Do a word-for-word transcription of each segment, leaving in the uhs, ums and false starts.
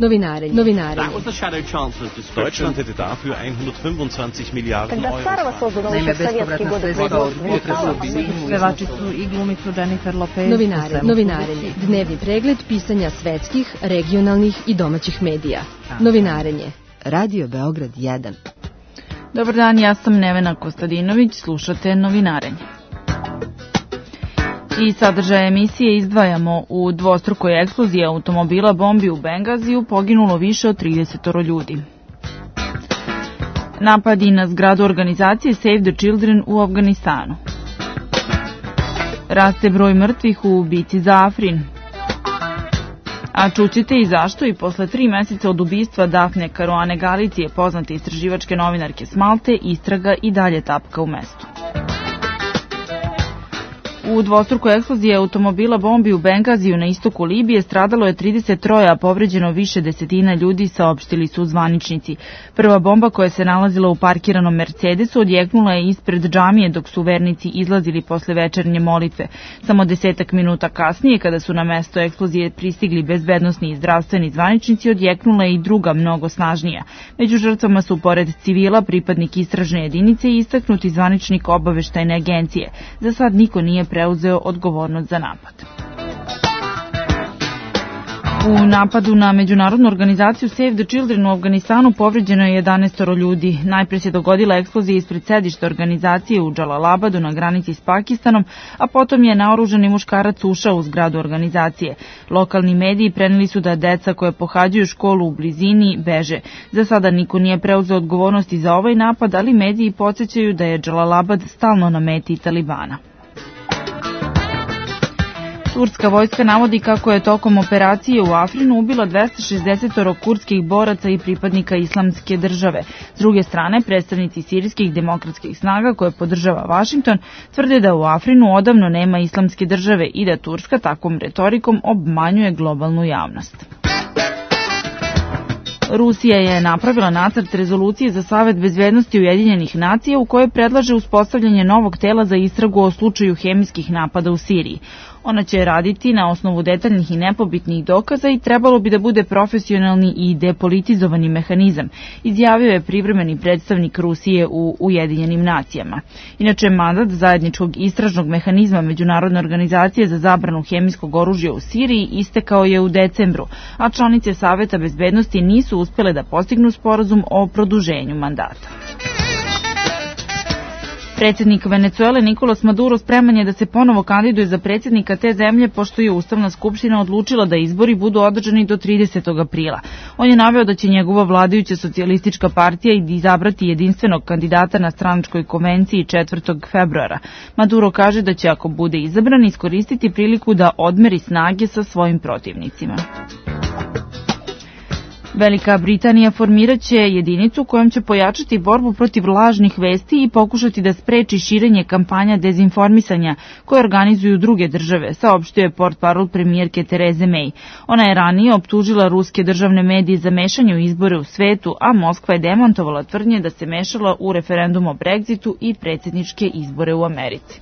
Novinarenje. Novinarenje. Deutschland hätte dafür hundertfünfundzwanzig Milliarden Euro. Naime, bespovratna sredstva od potresa u Briselu. Pevačicu i glumicu Jennifer Lopez. Novinarenje. Novinarenje. Dnevni pregled pisanja svetskih, regionalnih i domaćih medija. Novinarenje. Radio Beograd jedan. Dobar dan, ja sam Nevena Kostadinović, slušate Novinarenje. I sadržaje emisije izdvajamo: u dvostrukoj eksploziji automobila bombi u Bengaziju poginulo više od trideset ljudi. Napadi na zgradu organizacije Save the Children u Afganistanu. Raste broj mrtvih u bici za Afrin. A čućete i zašto i posle tri meseca od ubistva Dafne Karuane Galicije, poznate istraživačke novinarke s Malte, istraga i dalje tapka u mestu. U dvostrukoj eksploziji automobila bombi u Bengaziju na istoku Libije stradalo je trideset tri, a povređeno više desetina ljudi, saopštili su zvaničnici. Prva bomba koja se nalazila u parkiranom Mercedesu odjeknula je ispred džamije dok su vernici izlazili posle večernje molitve. Samo desetak minuta kasnije, kada su na mesto eksplozije pristigli bezbednosni i zdravstveni zvaničnici, odjeknula je i druga, mnogo snažnija. Među žrtvama su, pored civila, pripadnik istražne jedinice i istaknuti zvaničnik obaveštajne agencije. Za sad niko nije preuzeo odgovornost za napad. U napadu na međunarodnu organizaciju Save the Children u Afganistanu povređeno je jedanaest ljudi. Najpre se dogodila eksplozija ispred sedišta organizacije u Džalalabadu na granici s Pakistanom, a potom je naoružani muškarac ušao u zgradu organizacije. Lokalni mediji preneli su da deca koje pohađaju školu u blizini beže. Za sada niko nije preuzeo odgovornosti za ovaj napad, ali mediji podsjećaju da je Džalalabad stalno na meti Talibana. Turska vojska navodi kako je tokom operacije u Afrinu ubila dvesta šezdeset kurdskih boraca i pripadnika islamske države. S druge strane, predstavnici sirijskih demokratskih snaga koje podržava Vašington tvrde da u Afrinu odavno nema islamske države i da Turska takvom retorikom obmanjuje globalnu javnost. Rusija je napravila nacrt rezolucije za Savet bezbednosti Ujedinjenih nacija u kojoj predlaže uspostavljanje novog tela za istragu o slučaju hemijskih napada u Siriji. Ona će raditi na osnovu detaljnih i nepobitnih dokaza i trebalo bi da bude profesionalni i depolitizovani mehanizam, izjavio je privremeni predstavnik Rusije u Ujedinjenim nacijama. Inače, mandat zajedničkog istražnog mehanizma Međunarodne organizacije za zabranu hemijskog oružja u Siriji istekao je u decembru, a članice Saveta bezbednosti nisu uspele da postignu sporazum o produženju mandata. Predsjednik Venecuele Nikolas Maduro spreman je da se ponovo kandiduje za predsjednika te zemlje, pošto je Ustavna skupština odlučila da izbori budu održani do tridesetog aprila. On je naveo da će njegova vladajuća socijalistička partija izabrati jedinstvenog kandidata na stranačkoj konvenciji četvrtog februara. Maduro kaže da će, ako bude izabran, iskoristiti priliku da odmeri snage sa svojim protivnicima. Velika Britanija formiraće jedinicu kojom će pojačati borbu protiv lažnih vesti i pokušati da spreči širenje kampanja dezinformisanja koje organizuju druge države, saopštio je portparol premijerke Tereze May. Ona je ranije optužila ruske državne medije za mešanje u izbore u svetu, a Moskva je demantovala tvrdnje da se mešala u referendum o Brexitu i predsjedničke izbore u Americi.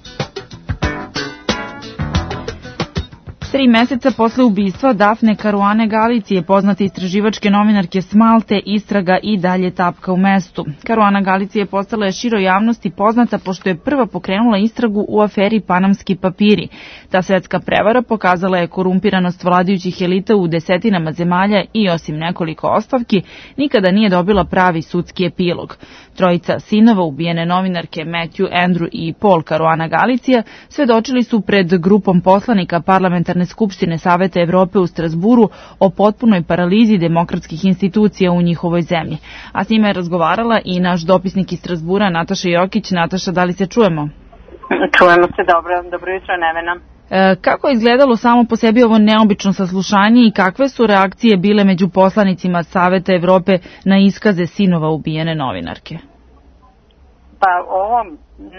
Tri meseca posle ubistva Dafne Karuane Galicije, poznate istraživačke novinarke s Malte, istraga i dalje tapka u mestu. Karuana Galicija postala je široj javnosti poznata pošto je prva pokrenula istragu u aferi Panamski papiri. Ta svetska prevara pokazala je korumpiranost vladajućih elita u desetinama zemalja i, osim nekoliko ostavki, nikada nije dobila pravi sudski epilog. Trojica sinova ubijene novinarke Matthew, Andrew i Paul Karuana Galicija svedočili su pred grupom poslanika parlamentarne skupštine Saveta Evrope u Strasburu o potpunoj paralizi demokratskih institucija u njihovoj zemlji. A s njima je razgovarala i naš dopisnik iz Strasbura, Nataša Jokić. Nataša, da li se čujemo? Čujemo se, dobro, dobro jutro, Nevena. E, kako je izgledalo samo po sebi ovo neobično saslušanje i kakve su reakcije bile među poslanicima Saveta Evrope na iskaze sinova ubijene novinarke? Pa ovo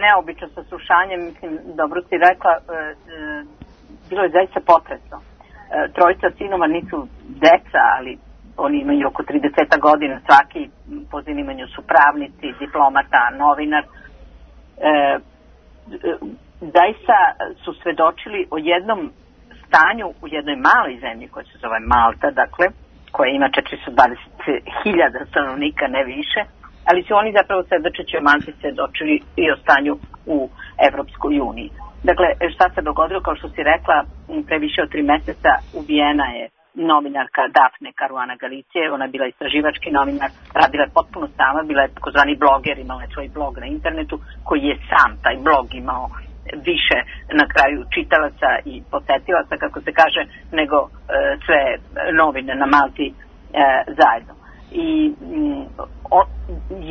neobično saslušanje, mislim, dobro si rekla, e, e, bilo je zaista potresno. E, trojica sinova nisu deca, ali oni imaju oko trideset godina, svaki po zanimanju su pravnici, diplomata, novinar. E, e, zaista su svedočili o jednom stanju u jednoj maloj zemlji koja se zove Malta, dakle, koja ima četiristo dvadeset hiljada stanovnika, ne više, ali su oni zapravo svedočeći o Malti svedočili i o stanju u Evropskoj uniji. Dakle, šta se dogodilo, kao što si rekla, pre više od tri meseca ubijena je novinarka Dafne Caruana Galicije. Ona je bila istraživački novinar, radila je potpuno sama, bila je takozvani bloger, imala je svoj blog na internetu koji je sam taj blog imao više na kraju čitalaca i posetilaca, kako se kaže, nego e, sve novine na Malti e, zajedno. I m, o,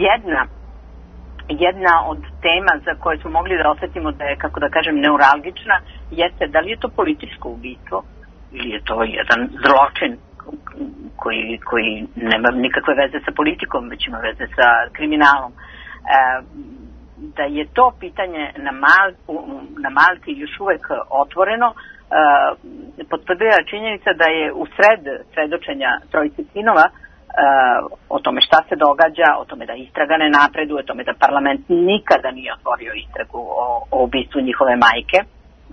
jedna jedna od tema za koje smo mogli da osetimo da je, kako da kažem, neuralgična, jeste da li je to političko ubistvo ili je to jedan zločin koji, koji nema nikakve veze sa politikom, već ima veze sa kriminalom. E, da je to pitanje na, Mal, na Malti još uvek otvoreno, e, potvrdila činjenica da je u sred svedočenja trojice sinova Uh, o tome šta se događa, o tome da istraga ne napreduje, o tome da parlament nikada nije otvorio istragu o, o ubistvu njihove majke,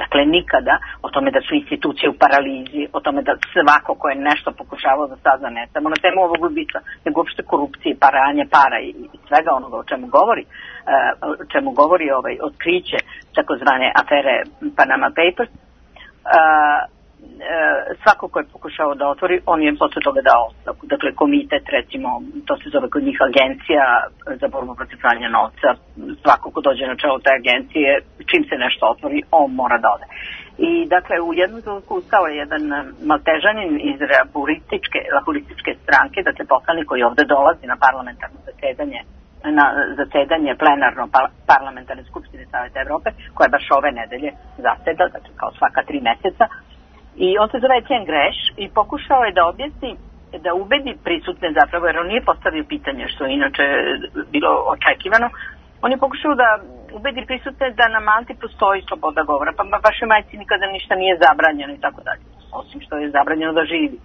dakle nikada, o tome da su institucije u paralizi, o tome da svako ko je nešto pokušavao da sazna ne samo na temu ovog ubistva, nego uopšte korupcije, paranje para i, i svega onoga o čemu govori, uh, o čemu govori ovaj otkriće takozvane afere Panama Papers. Uh, svako ko je pokušao da otvori, on je posle toga dao ostavku. Dakle, komitet, recimo, to se zove kod njih agencija za borbu protiv pranja novca. Svako ko dođe na čelo te agencije, čim se nešto otvori, on mora da ode. I, dakle, u jednom trenutku ustao je jedan Maltežanin iz laburističke, laburističke stranke, dakle, poslanik koji ovde dolazi na parlamentarno zasedanje na zasedanje plenarno parlamentarne skupštine Saveta Evrope, koja baš ove nedelje zaseda, dakle, kao svaka tri meseca. I on se zove Etienne Greš i pokušao je da objasni, da ubedi prisutne zapravo, jer on nije postavio pitanje, što je inače bilo očekivano, on je pokušao da ubedi prisutne da na Malti postoji sloboda govora, pa vašoj majci nikada ništa nije zabranjeno i tako dalje, osim što je zabranjeno da živi.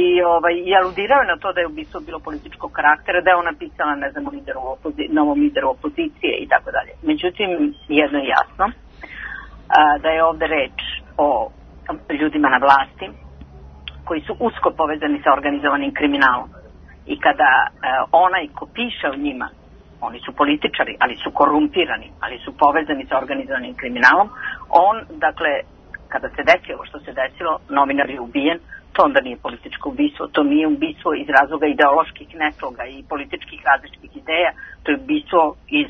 I, ovaj, i aludirao je na to da je ubistvo bilo političkog karaktera, da je ona pisala, ne znam, lideru opozi- novom lideru opozicije i tako dalje. Međutim, jedno je jasno, a, da je ovde reč o ljudima na vlasti koji su usko povezani sa organizovanim kriminalom. I kada e, onaj ko piše o njima, oni su političari, ali su korumpirani, ali su povezani sa organizovanim kriminalom, on, dakle, kada se desilo što se desilo, novinar je ubijen, to onda nije političko ubistvo, to nije ubistvo iz razloga ideoloških nesloga i političkih različitih ideja, to je ubistvo iz,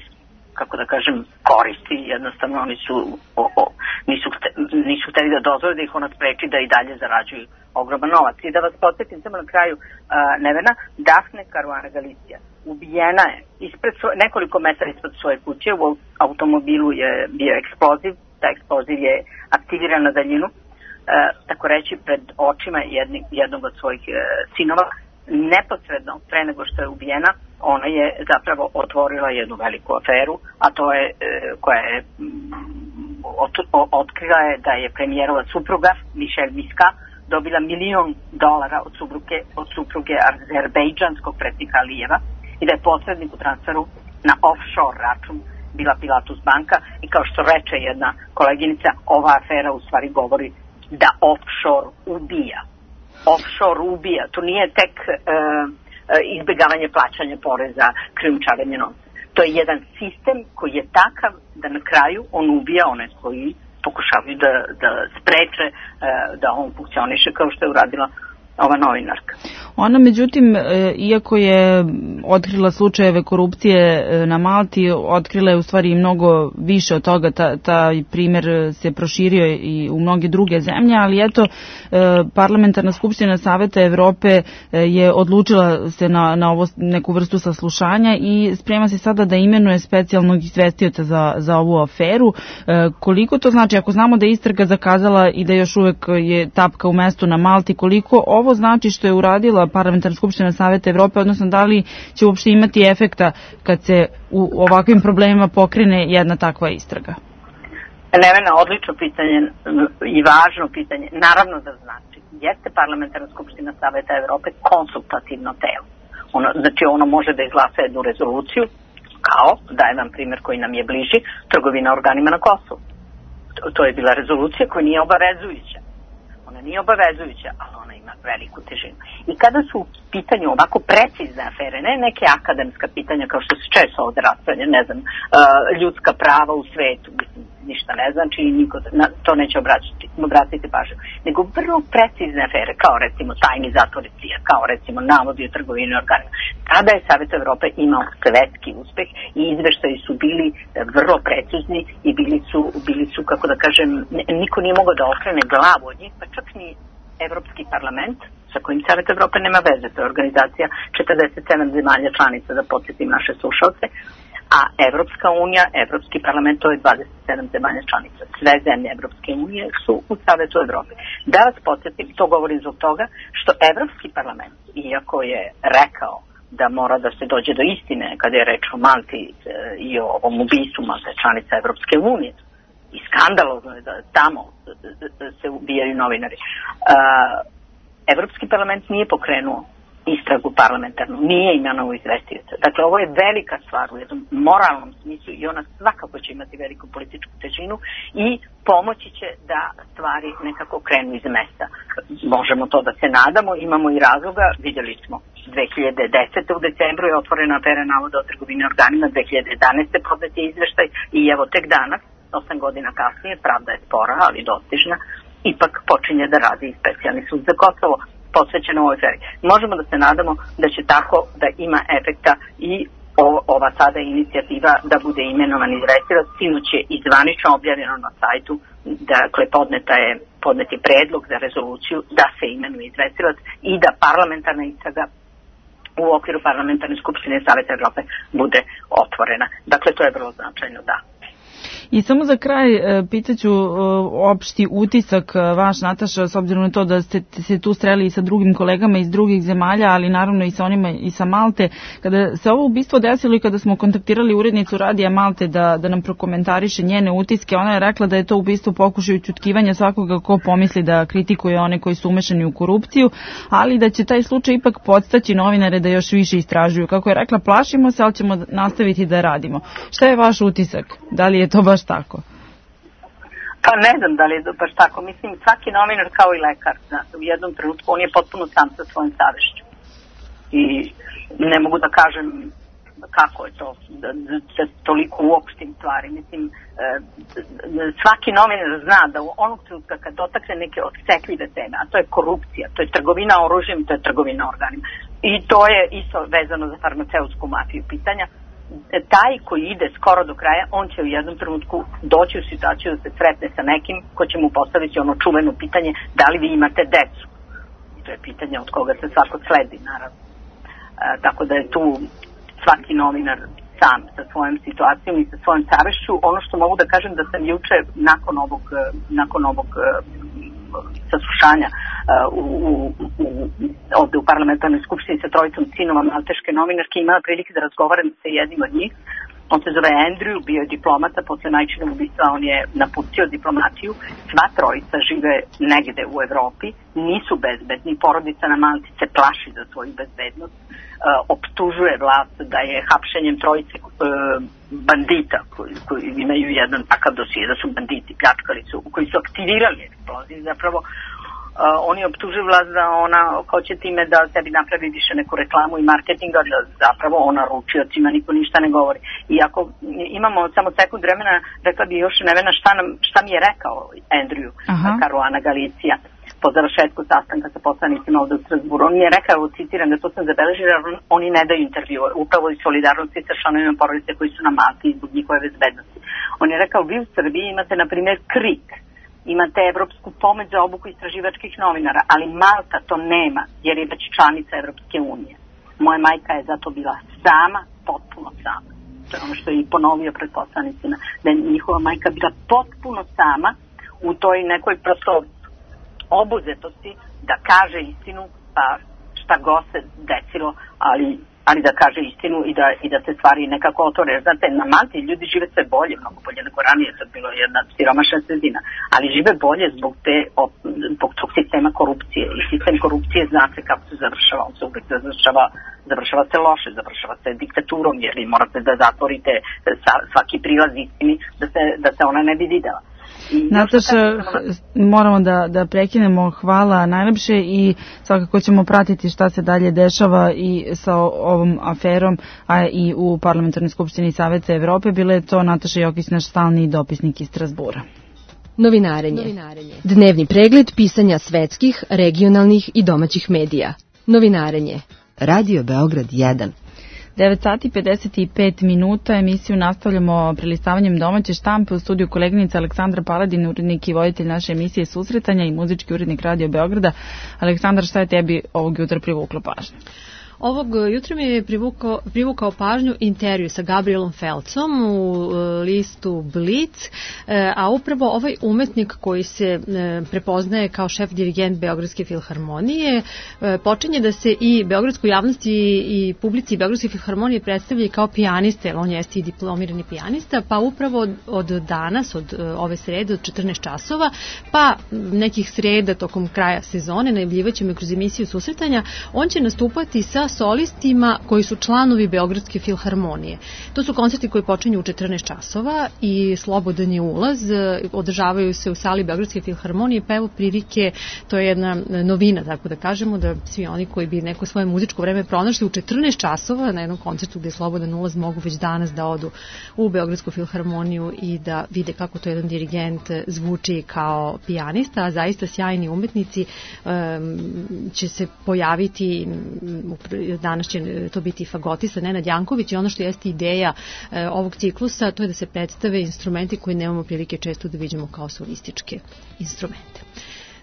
kako da kažem, koristi, jednostavno oni su o, o, nisu, nisu hteli da dozvore da ih ona spreči da i dalje zarađuju ogroman novac. I da vas podsjetim samo na kraju, uh, Nevena, Dafne Caruana Galicija ubijena je ispred svoje, nekoliko metara ispred svoje kuće, u automobilu je bio eksploziv, taj eksploziv je aktiviran na daljinu, uh, tako reći pred očima jedni, jednog od svojih uh, sinova. Neposredno pre nego što je ubijena, ona je zapravo otvorila jednu veliku aferu, a to je, koja je ot, otkrila je da je premijerova supruga Michelle Miska dobila milion dolara od supruge, od supruge azerbejdžanskog predsjednika Alijeva i da je posrednik u transferu na offshore račun bila Pilatus banka i kao što reče jedna koleginica, ova afera u stvari govori da offshore ubija. Offshore ubija, to nije tek e, izbjegavanje plaćanja poreza, krijumčarenje novca. To je jedan sistem koji je takav da na kraju on ubija one koji pokušavaju da, da spreče e, da on funkcioniše kao što je uradila ova novinarka. Ona, međutim, iako je otkrila slučajeve korupcije na Malti, otkrila je u stvari mnogo više od toga, ta, taj primjer se proširio i u mnoge druge zemlje, ali eto, Parlamentarna skupština Saveta Evrope je odlučila se na, na ovo, neku vrstu saslušanja i sprema se sada da imenuje specijalnog izvestioca za, za ovu aferu. Koliko to znači, ako znamo da je istraga zakazala i da još uvek je tapka u mestu na Malti, koliko ovo znači što je uradila Parlamentarna skupština Saveta Evrope, odnosno da li će uopšte imati efekta kad se u ovakvim problemima pokrene jedna takva istraga? Nevena, odlično pitanje i važno pitanje. Naravno da znači. Jeste Parlamentarna skupština Saveta Evrope konsultativno telo. Ono, znači ono može da izglasa jednu rezoluciju, kao, dajem vam primjer koji nam je bliži, trgovina organima na Kosovu. To, to je bila rezolucija koja nije obavezujuća. Ona nije obavezujuća, ali ona ima veliku težinu. I kada su u pitanju ovako precizne afere, ne neke akademska pitanja kao što se često ovde raspravlja, ne znam, ljudska prava u svetu, ništa ne znači i niko na to neće obratiti, obratiti pažnju, nego vrlo precizne afere, kao recimo tajni zatvori C I A, kao recimo navodi o trgovini organima. Tada je Savet Evrope imao svetski uspeh i izveštaji su bili vrlo precizni i bili su, bili su, kako da kažem, niko nije mogao da okrene glavu od njih, pa čak ni Evropski parlament, sa kojim Savet Evrope nema veze, to je organizacija četrdeset sedam zemalja članica, da podsjetim naše slušalce, a Evropska unija, Evropski parlament, to je dvadeset sedam zemalja članica. Sve zemlje Evropske unije su u Savetu Evrope. Da vas podsjetim, to govorim zbog toga što Evropski parlament, iako je rekao da mora da se dođe do istine kada je reč o Malti i o ovom ubistvu Malte članica Evropske unije, i skandalozno je da tamo se ubijaju novinari. Evropski parlament nije pokrenuo istragu parlamentarnu, nije imenovao izvestioca. Dakle, ovo je velika stvar u jednom moralnom smislu i ona svakako će imati veliku političku težinu i pomoći će da stvari nekako krenu iz mesta. Možemo to da se nadamo, imamo i razloga, vidjeli smo dve hiljade desete. u decembru je otvorena afera navoda o trgovini organima, dve hiljade jedanaeste. podnet je izveštaj i evo tek danas, osam godina kasnije, pravda je spora, ali dostižna, ipak počinje da radi i specijalni sud za Kosovo posvećeno ovoj aferi. Možemo da se nadamo da će tako da ima efekta i o, ova sada inicijativa da bude imenovan izvestilac. Sinoć je i zvanično objavljeno na sajtu, dakle podneta je, podnet je predlog za rezoluciju da se imenuje izvestilac i da parlamentarna istraga u okviru parlamentarne skupštine Saveta Evrope bude otvorena. Dakle, to je vrlo značajno, da. I samo za kraj pitaću opšti utisak vaš, Nataša, s obzirom na to da ste se tu streli i sa drugim kolegama iz drugih zemalja, ali naravno i sa onima i sa Malte. Kada se ovo ubistvo desilo i kada smo kontaktirali urednicu Radija Malte da, da nam prokomentariše njene utiske, ona je rekla da je to ubistvo pokušaj ućutkivanja svakoga ko pomisli da kritikuje one koji su umešani u korupciju, ali da će taj slučaj ipak podstaći novinare da još više istražuju. Kako je rekla, plašimo se, ali ćemo nastaviti da radimo. Šta je vaš utisak? Da li je to baš tako? Pa ne znam da li je baš tako. Mislim, svaki novinar kao i lekar, u jednom trenutku on je potpuno sam sa svojom savešću. I ne mogu da kažem kako je to, da, da toliko uopštim stvari. Mislim, svaki novinar zna da u onog trenutka kad dotakne neke osetljive teme, a to je korupcija, to je trgovina oružjem, to je trgovina organima. I to je isto vezano za farmaceutsku mafiju pitanja. Taj koji ide skoro do kraja, on će u jednom trenutku doći u situaciju da se sretne sa nekim ko će mu postaviti ono čuveno pitanje da li vi imate decu. I to je pitanje od koga se svako sledi, naravno. E, tako da je tu svaki novinar sam sa svojom situacijom i sa svojom savešću. Ono što mogu da kažem da sam juče nakon ovog, nakon ovog saslušanja uh, u, u, u, ovde u parlamentarnoj skupštini sa trojicom sinova malteške novinarke imala prilike da razgovaram sa jednim od njih. On se zove Andrew, bio je diplomata, posle majčinog ubistva on je napustio diplomatiju. Sva trojica žive negde u Evropi, nisu bezbedni, porodica na Malti se plaši za svoju bezbednost, uh, optužuje vlast da je hapšenjem trojice uh, bandita koji, koji imaju jedan takav dosije, da su banditi, pljačkali su, koji su aktivirali eksploziju, zapravo Uh, oni optužuju vlast da ona hoće time da sebi napravi više neku reklamu i marketing, ali zapravo ona ručiocima niko ništa ne govori. I ako imamo samo sekund vremena, rekla bi još Nevena šta, nam, šta mi je rekao Andrew Caruana Galizia po završetku sastanka sa poslanicima ovde u Strasburu. On mi je rekao, citiram, da to sam zabeležila, on, oni ne daju intervju, upravo iz solidarnosti sa članovima porodice koji su na Malti zbog njihove bezbednosti. On je rekao, vi u Srbiji imate, na primjer, KRIK, imate evropsku pomoć za obuku istraživačkih novinara, ali Malta to nema, jer je već članica Evropske unije. Moja majka je zato bila sama, potpuno sama. To je ono što je i ponovio pred poslanicima, da je njihova majka bila potpuno sama u toj nekoj prosto obuzetosti da kaže istinu, pa šta god se desilo, ali ali da kaže istinu i da, i da se stvari nekako otvore. Znate, na Malti ljudi žive sve bolje, mnogo bolje nego ranije, to je bilo jedna siromašna sredina, ali žive bolje zbog, te, zbog tog sistema korupcije. I sistem korupcije zna se kako se završava, on se uvijek završava, završava se loše, završava se diktaturom, jer morate da zatvorite svaki prilaz istini da se, da se ona ne bi videla. Nataša, moramo da, da prekinemo. Hvala najlepše i svakako ćemo pratiti šta se dalje dešava i sa ovom aferom, a i u Parlamentarnoj skupštini Saveta Evrope. Bila je to Nataša Jokić, naš stalni dopisnik iz Strazbura. Novinarenje. Novinarenje. Dnevni pregled pisanja svetskih, regionalnih i domaćih medija. Novinarenje. Radio Beograd jedan. devet sati pedeset pet minuta, emisiju nastavljamo prelistavanjem domaće štampe. U studiju koleginica Aleksandra Paladin, urednik i voditelj naše emisije Susretanja i muzički urednik Radio Beograda. Aleksandar, šta je tebi ovog jutra privuklo pažnju? Ovog jutra mi je privukao, privukao pažnju intervju sa Gabrielom Felcom u listu Blic, a upravo ovaj umetnik koji se prepoznaje kao šef dirigent Beogradske filharmonije počinje da se i beogradskoj javnosti i publici Beogradske filharmonije predstavlja kao pijanista, jer on jeste i diplomirani pijanista, pa upravo od danas, od ove srede, od četrnaest časova, pa nekih sreda tokom kraja sezone, najavljivaćemo kroz emisiju Susretanja, on će nastupati sa solistima koji su članovi Beogradske filharmonije. To su koncerti koji počinju u četrnaest časova i slobodan je ulaz, održavaju se u sali Beogradske filharmonije, pa evo prilike, to je jedna novina, tako da kažemo, da svi oni koji bi neko svoje muzičko vreme pronašli u četrnaest časova na jednom koncertu gde je slobodan ulaz mogu već danas da odu u Beogradsku filharmoniju i da vide kako to jedan dirigent zvuči kao pijanista, a zaista sjajni umetnici um, će se pojaviti. Danas će to biti fagotista Nenad Janković i ono što jeste ideja e, ovog ciklusa, to je da se predstave instrumenti koje nemamo prilike često da vidimo kao solističke instrumente.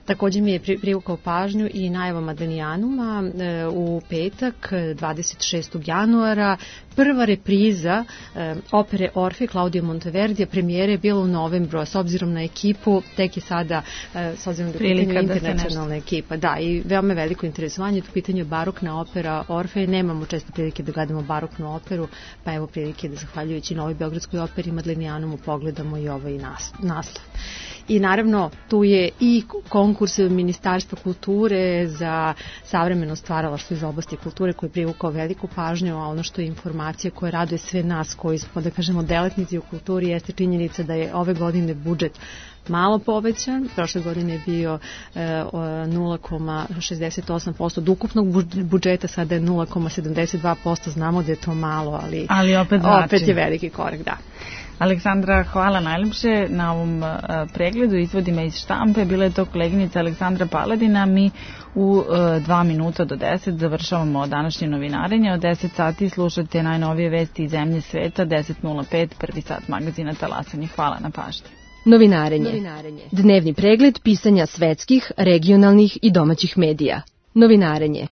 Također mi je privukao pažnju i najava Madanijanuma e, u petak, dvadeset šestog januara, prva repriza e, opere Orfe Claudio Monteverdija, premijere je bila u novembru, a s obzirom na ekipu, tek je sada, e, s obzirom da je pitanje internacionalna ekipa, da, i veoma veliko interesovanje, tu pitanje je barokna opera Orfe, nemamo često prilike da gledamo baroknu operu, pa evo prilike da zahvaljujući Novoj Beogradskoj operi Madanijanumu pogledamo i ovaj naslov. I naravno tu je i konkurs Ministarstva kulture za savremeno stvaralaštvo iz oblasti kulture koji je privukao veliku pažnju, a ono što je informacija koja raduje sve nas koji smo, da kažemo, delatnici u kulturi, jeste činjenica da je ove godine budžet malo povećan. Prošle godine je bio e, nula zarez šezdeset osam posto od ukupnog budžeta, sada je nula zarez sedamdeset dva posto. Znamo da je to malo, ali, ali opet, opet je veliki korak, da. Aleksandra, hvala najljepše na ovom uh, pregledu izvodima iz štampe. Bila je to koleginica Aleksandra Paladina. Mi u uh, dva minuta do deset završavamo današnje novinarenje. Od deset sati slušate najnovije vesti iz zemlje sveta. deset nula pet, prvi sat magazina Talasanje. Hvala na pažnji. Novinarenje. Novinarenje. Dnevni pregled pisanja svetskih, regionalnih i domaćih medija. Novinarenje.